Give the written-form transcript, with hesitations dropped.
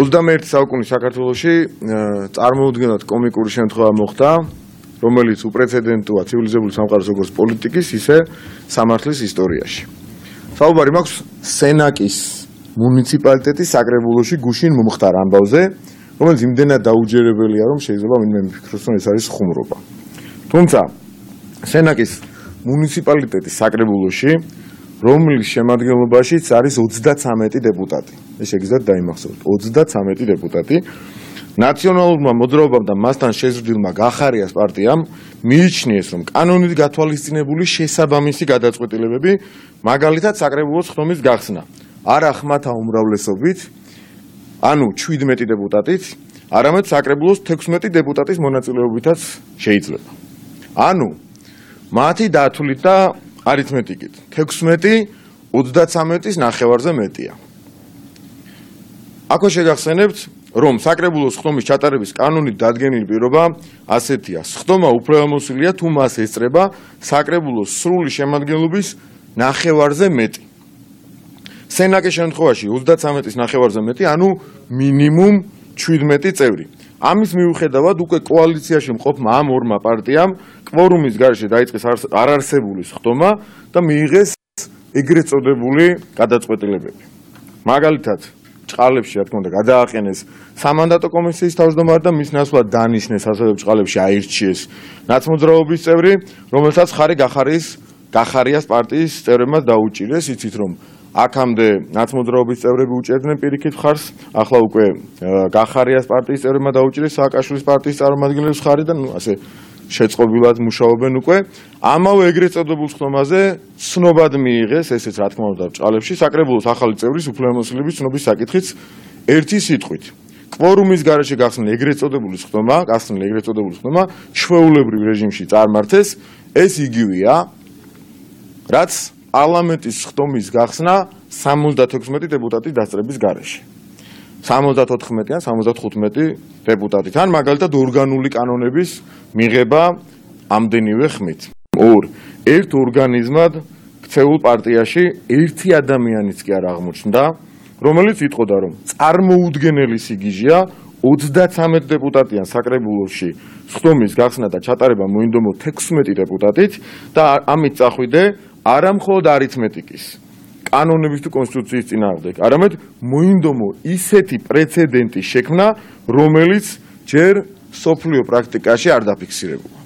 21 საუკუნის საქართველოში წარმოუდგენლად კომიკური შემთხვევა მოხდა, რომელიც უპრეცედენტოა ცივილიზებული სამყაროს როგორც პოლიტიკის, ისე სამართლის ისტორიაში. საუბარი მაქვს სენაკის მუნიციპალიტეტის საკრებულოში გუშინ მომხდარ ამბავზე, რომელიც იმდენად დაუჯერებელია, რომ შეიძლება ვინმე მიფიქროს, რომ ეს არის ხუმრობა. თუმცა სენაკის მუნიციპალიტეტის საკრებულოში, რომლის შემადგენლობაშიც არის 33 დეპუტატი. ეს შეგიძლიათ დაიმახსოვროთ, 33 დეპუტატი. ნაციონალურმა მოძრაობამ და მასთან შეზრდილმა გახარიას პარტიამ მიიჩნიეს, რომ კანონით გათვალისწინებული შესაბამისი გადაწყვეტილებები, მაგალითად საკრებულოს ხდომის გახსნა, არა ხმათა უმრავლესობით, ანუ 17 დეპუტატით, არამედ საკრებულოს 16 დეპუტატის მონაწილეობითაც შეიძლება. ანუ მათი დათვლით და არითმეტიკით 16 33-ის ნახევარზე მეტია. აქვე შეგახსენებთ, რომ საკრებულოს ხდომის ჩატარების კანონით დადგენილი პირობა ასეთია: ხდომა უფლებამოსილია თუ მას ესწრება საკრებულოს სრული შემადგენლობის ნახევარზე მეტი. სენაკის შემთხვევაში 33-ის ნახევარზე მეტი, ანუ მინიმუმ 17 წევრი. ამის მიუხედავად უკვე კოალიციაში მყოფმა ამ ორმა პარტიამ კვორუმის გარეშე დაიწყეს არარსებულის ხდომა და მიიღეს ეგრეთ წოდებული გადაწყვეტილებები. მაგალითად, ჭყალებში, რა თქმა უნდა, გადააყენეს სამანდატო კომისიის თავმჯდომარე და მის ნაცვლად დანიშნეს ასევე ჭყალებში აირჩიეს ნაცმოძრაობის წევრი, რომელსაც ხარი გახარიას პარტიის წევრებმა დაუჭირეს. იცით, რომ აქამდე ნაცმოძრაობის წევრები უჭერდნენ პირიქით ხარს, ახლა უკვე გახარიას პარტიის წევრებმა დაუჭირეს სააკაშვილის პარტიის წარმომადგენლებს ხარი და ასე შეწყობილად მუშაობენ უკვე. ამავე ეგრეთ წოდებულ ხდომაზე ცნობად მიიღეს, ესეც რა თქმა უნდა ჭყალებში, საკრებულოს ახალი წევრის უფლებამოსილების ცნობის საკითხიც ერთი სიტყვით. კვორუმის გარეშე გახსნილი ეგრეთ წოდებული ხდომა ჩვეულებრივ რეჟიმში წარმართეს, ეს იგივეა, რაც პარლამენტის ხდომის გახსნა 76 დეპუტატის დასწრების გარეშე. 74 ან 75 დეპუტატით. ან მაგალითად ორგანული კანონების მიღება ამდენივე ხმით. ერთ ორგანიზმად ქცეულ პარტიაში ერთი ადამიანიც კი არ აღმოჩნდა, რომელიც იტყოდა, რომ წარმოუდგენელი სიგიჟეა 33 დეპუტატიან საკრებულოში ხდომის გახსნა და ჩატარება მოინდომო 16 დეპუტატით და ამით წახვიდე არა მხოლოდ არითმეტიკის, კანონების თუ კონსტიტუციის წინააღმდეგ, არამედ მოინდომო ისეთი პრეცედენტის შექმნა, რომელიც ჯერ სოფლიო პრაქტიკაში არ დაფიქსირებულა.